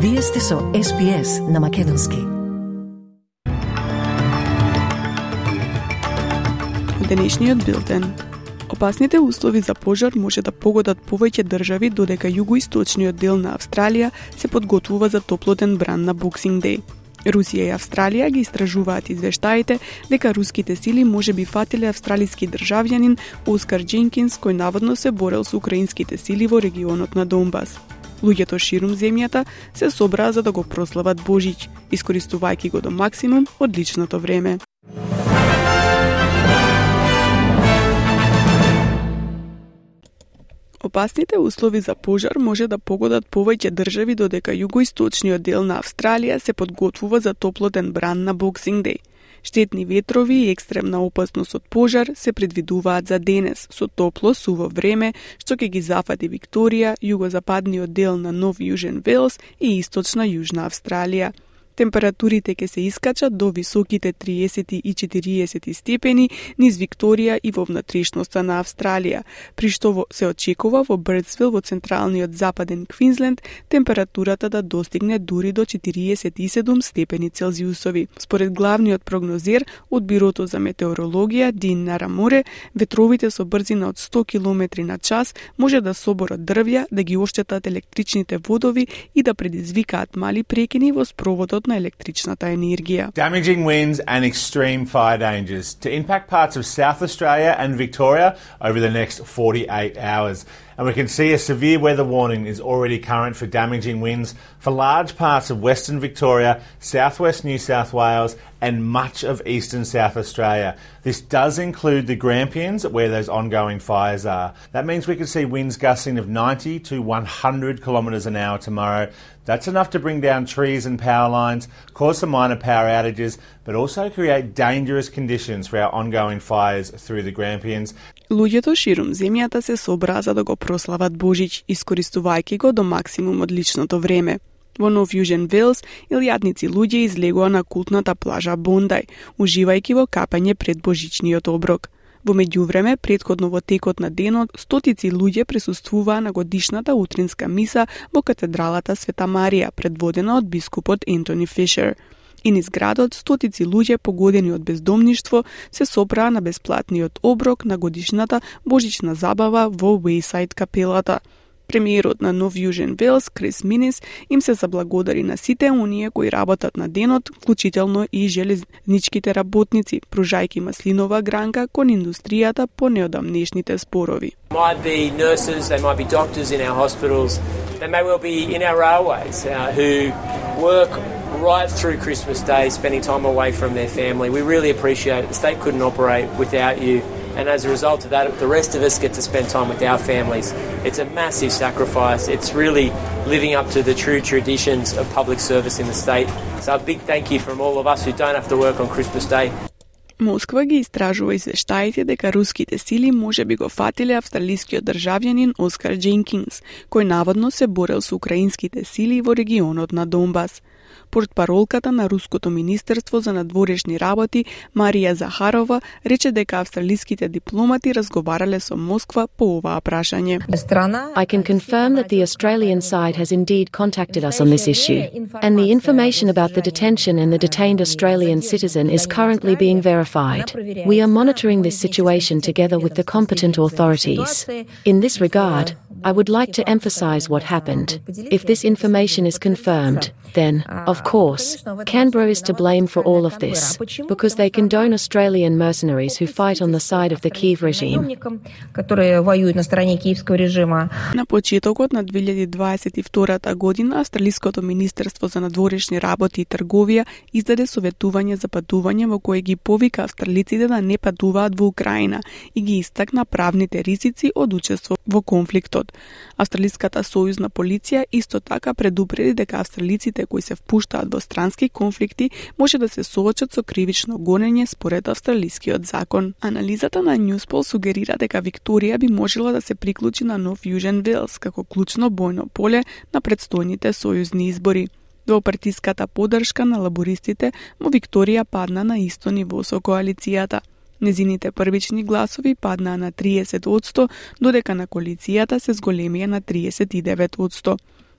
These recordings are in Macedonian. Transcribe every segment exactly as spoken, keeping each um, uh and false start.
Вие сте со Ес Би Ес на Македонски. Денешниот билтен. Опасните услови за пожар може да погодат повеќе држави, додека југоисточниот дел на Австралија се подготвува за топлотен бран на Боксинг Деј. Русија и Австралија ги истражуваат извештаите дека руските сили можеби фатиле австралиски државјанин Оскар Дженкинс, кој наводно се борел со украинските сили во регионот на Донбас. Луѓето ширум земјата се собраа за да го прослават Божич, искористувајќи го до максимум одличното време. Опасните услови за пожар може да погодат повеќе држави, додека југоисточниот дел на Австралија се подготвува за топлотен бран на Боксинг Деј. Штетни ветрови и екстремна опасност од пожар се предвидуваат за денес, со топло, суво време, што ќе ги зафати Викторија, југозападниот дел на Нов Јужен Велс и источна Јужна Австралија. Температурите ќе се искачат до високите триесет и четириесет степени низ Викторија и во внатрешноста на Австралија, при што се очекува во Бирдсвил во централниот западен Квинсленд температурата да достигне дури до четириесет и седум степени Целзиусови. Според главниот прогнозер од Бирото за метеорологија Дин Нараморе, ветровите со брзина од сто километри на час може да соборат дрвја, да ги оштетат електричните водови и да предизвикаат мали прекини во спроводот на електричната енергија. Damaging winds and extreme fire dangers to impact parts of South Australia and Victoria over the next forty-eight hours. And we can see a severe weather warning is already current for damaging winds for large parts of Western Victoria, southwest New South Wales and much of eastern South Australia. This does include the Grampians where those ongoing fires are. That means we could see winds gusting of ninety to one hundred kilometres an hour tomorrow. That's enough to bring down trees and power lines, cause some minor power outages, but also create dangerous conditions for our ongoing fires through the Grampians. Луѓето ширум земјата се собраа за да го прослават Божич, искористувајќи го до максимум одличното време. Во Нов Јужен Велс, илјадници луѓе излегоа на култната плажа Бондај, уживајќи во капање пред божичниот оброк. Во меѓувреме, претходно во текот на денот, стотици луѓе присуствуваа на годишната утринска миса во катедралата Света Марија, предводена од бискупот Ентони Фишер. И низ градот, стотици луѓе погодени од бездомништво се собраа на бесплатниот оброк на годишната божична забава во Уејсајд капелата. Премиерот на Нов Јужен Велс, Крис Минис, им се заблагодари на сите оние кои работат на денот, вклучително и железничките работници, пружајќи маслинова гранка кон индустријата по неодамнешните спорови. Might be nurses, they might be doctors in our hospitals, they may well be in our railways uh, who work right through Christmas Day, spending time away from their family. We really appreciate it. The state couldn't operate without you. And as a result of that, the rest of us get to spend time with our families. It's a massive sacrifice. It's really living up to the true traditions of public service in the state. So a big thank you from all of us who don't have to work on Christmas Day. Москва ги истражува извештаите дека руските сили можеби го фатиле австралискиот државјанин Оскар Дженкинс, кој наводно се борел со украинските сили во регионот на Донбас. Портпаролката на Руското министерство за надворешни работи Марија Захарова рече дека австралиските дипломати разговарале со Москва по оваа прашање. I can confirm that the Australian side has indeed contacted us on this issue, and the information about the detention and the detained Australian citizen is currently being verified. We are monitoring this situation together with the competent authorities. In this regard, I would like to emphasize what happened. If this information is confirmed, then, of course, Canberra is to blame for all of this, because they condone Australian mercenaries who fight on the side of the Kyiv regime. На почетокот на две илјади дваесет и втора година, Австралиското министерство за надворешни работи и трговија издаде советување за патување во кое ги повика австралиците да не патуваат во Украина и ги истакна правните ризици од учество во конфликтот. Австралиската сојузна полиција исто така предупреди дека австралиците кои се впуштаат во странски конфликти може да се соочат со кривично гонење според австралискиот закон. Анализата на Newspol сугерира дека Викторија би можела да се приклучи на Нов Јужен Велс како клучно бојно поле на предстојните сојузни избори. Двопартиската поддршка на лабористите во Викторија падна на исто ниво со коалицијата. Незините првични гласови паднаа на триесет одсто, додека на коалицијата се зголемија на триесет и девет одсто.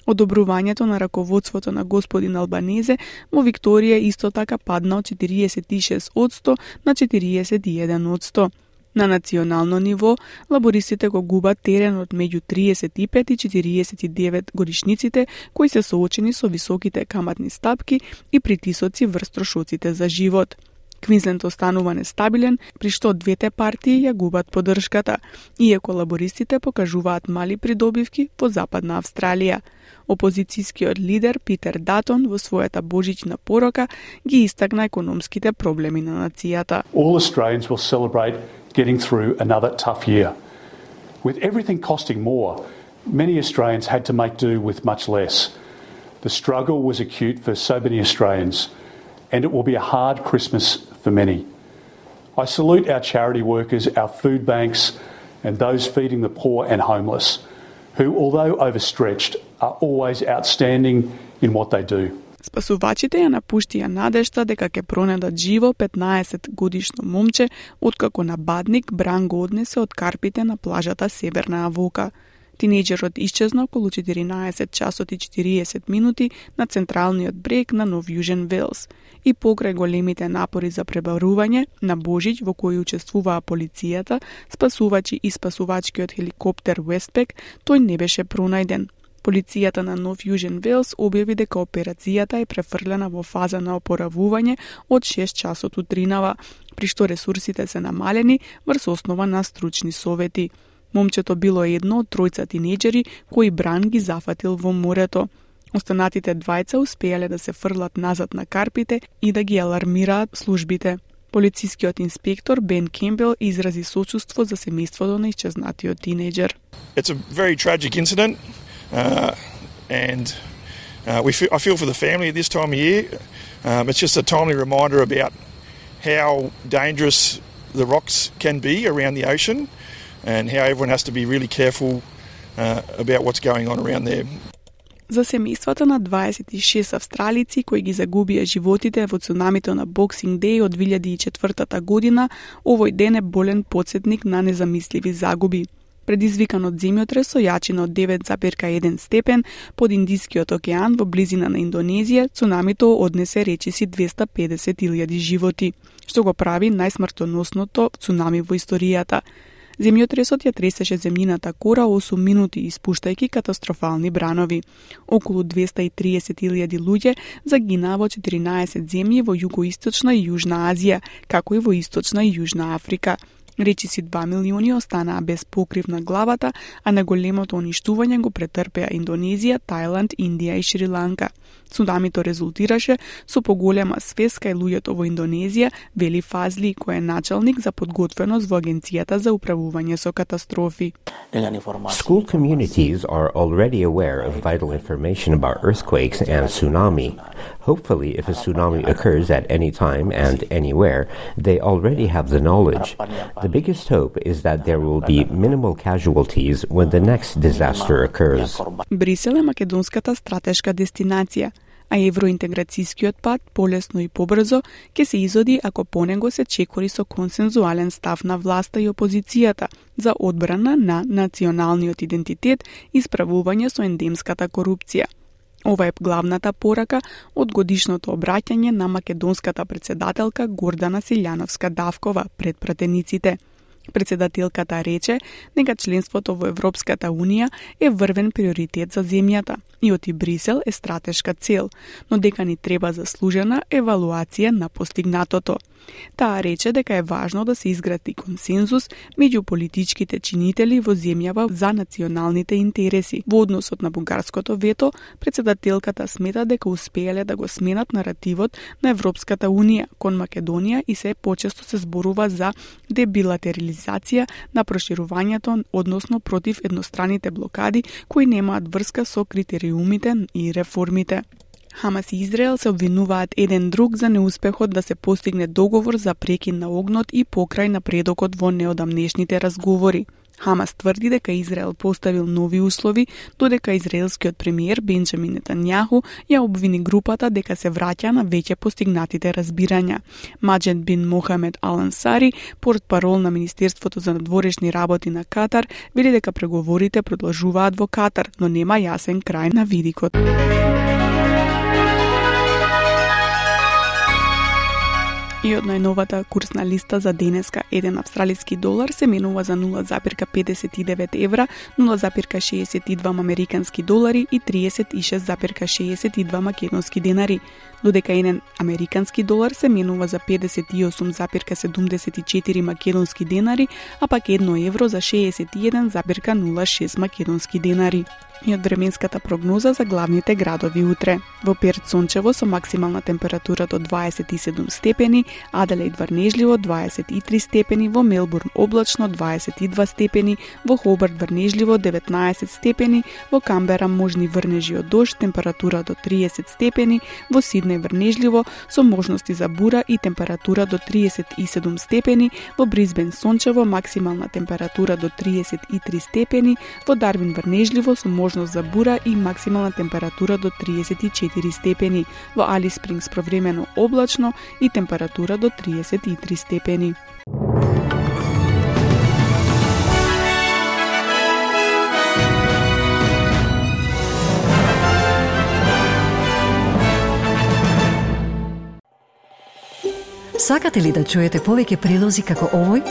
Одобрувањето на раководството на господин Албанезе во Викторија исто така падна од четириесет и шест одсто на четириесет и еден одсто. На национално ниво, лабористите го губат теренот меѓу триесет и пет и четириесет и девет годишниците кои се соочени со високите каматни стапки и притисоци врз трошоците за живот. Квинсленд останува нестабилен, при што двете партии ја губат поддршката, иако лабористите покажуваат мали придобивки во Западна Австралија. Опозицијскиот лидер Питер Датон во својата божична порока ги истакна економските проблеми на нацијата. All Australians will celebrate getting through another tough year. With everything costing more, many Australians had to make do with much less. The struggle was acute for so many Australians, and it will be a hard Christmas for many. I salute our charity workers, our food banks, and those feeding the poor and homeless, who, although overstretched, are always outstanding in what they do. Спасувачите ја напуштија надежта дека ќе пронедат живо петнаесет годишно момче, откако набадник Бран го однесе од карпите на плажата Северна Авока. Тинејџерот исчезна околу четиринаесет часот и четириесет минути на централниот брег на Нов Јужен Велс. И покрај големите напори за пребарување на Божич во кои учествуваа полицијата, спасувачи и спасувачкиот хеликоптер Westpac, тој не беше пронајден. Полицијата на Нов Јужен Велс објави дека операцијата е префрлена во фаза на опоравување од шест часот утринава, при што ресурсите се намалени врз основа на стручни совети. Момчето било едно од тројца тинејџери кои Бран ги зафатил во морето. Останатите двајца успеале да се фрлат назад на карпите и да ги алармираат службите. Полицискиот инспектор Бен Кембел изрази сочувство за семејството на исчезнатиот тинејџер. It's a very tragic incident. Uh, and uh, we feel, I feel for the family at this time of year. Um, it's just a timely reminder about how dangerous the rocks can be around the ocean and how everyone has to be really careful uh, about what's going on around there. За семејствата на дваесет и шест австралици кои ги загубија животите во цунамито на Boxing Day од две илјади и четвртата година, овој ден е болен потсетник на незамисливи загуби. Предизвикан од земјотрес со јачина од девет зарез еден степен под Индискиот океан во близина на Индонезија, цунамито однесе речиси двеста и педесет илјади животи, што го прави најсмртоносното цунами во историјата. Земјотресот ја тресеше земјината кора осум минути, испуштајќи катастрофални бранови. Околу двеста и триесет илјади луѓе загинаа во четиринаесет земји во југоисточна и јужна Азија, како и во источна и јужна Африка. Речиси два милиони останаа без покрив на главата, а најголемото уништување го претрпеа Индонезија, Тајланд, Индија и Шри-Ланка. Цунамито резултираше со поголема свест кај луѓето во Индонезија, вели Фазли, кој е началник за подготвеност во Агенцијата за управување со катастрофи. School communities are already aware of vital information about earthquakes and tsunami. Hopefully, if a tsunami occurs at any time and anywhere, they already have the knowledge. The biggest hope is that there will be minimal casualties when the next disaster occurs. Брисел е македонската стратешка дестинација, а евроинтеграцијскиот пат полесно и побрзо ќе се изоди ако по него се чекори со консензуален став на власта и опозицијата за одбрана на националниот идентитет и справување со ендемската корупција. Ова е главната порака од годишното обраќање на македонската председателка Гордана Силјановска-Давкова пред пратениците. Председателката рече дека членството во Европската Унија е врвен приоритет за земјата и оти Брисел е стратешка цел, но дека ни треба заслужена евалуација на постигнатото. Таа рече дека е важно да се изгради консензус меѓу политичките чинители во земјава за националните интереси. Во односот на бугарското вето, председателката смета дека успеале да го сменат наративот на Европската Унија кон Македонија и се почесто се зборува за дебилатерализација на проширувањето, односно против едностраните блокади кои немаат врска со критериумите и реформите. Хамас и Израел се обвинуваат еден друг за неуспехот да се постигне договор за прекин на огнот и покрај напредокот во неодамнешните разговори. Хамас тврди дека Израел поставил нови услови, додека израелскиот премиер Бенџамин Нетањаху ја обвини групата дека се враќа на веќе постигнатите разбирања. Маџед бин Мохамед Ал-Ансари, портпарол на Министерството за надворешни работи на Катар, вели дека преговорите продолжуваат во Катар, но нема јасен крај на видикот. И од најновата курсна листа за денеска, еден австралиски долар се менува за нула запирка педесет и девет евра, нула запирка шеесет и два американски долари и триесет и шест запирка шеесет и два македонски денари, додека еден американски долар се менува за педесет и осум запирка седумдесет и четири македонски денари, а пак едно евро за шеесет и еден запирка нула шест македонски денари. И од временската прогноза за главните градови утре. Во Перт сончево со максимална температура до дваесет и седум степени, Аделаид врнежливо дваесет и три степени, во Мелбурн облачно дваесет и два степени, во Хобарт врнежливо деветнаесет степени, во Камбера можни врнежи од дожд, температура до триесет степени, во Сиднеј врнежливо со можности за бура и температура до триесет и седум степени, во Брисбен сончево максимална температура до триесет и три степени, во Дарвин врнежливо со можност за бура и максимална температура до триесет и четири степени, во Алис Спрингс повремено облачно и температура до триесет и три степени. Сакате ли да чуете повеќе прилози како овој?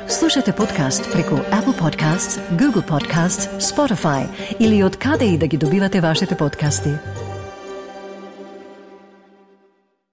Слушате подкаст преку Apple Podcasts, Google Podcasts, Spotify или од каде и да ги добивате вашите подкасти.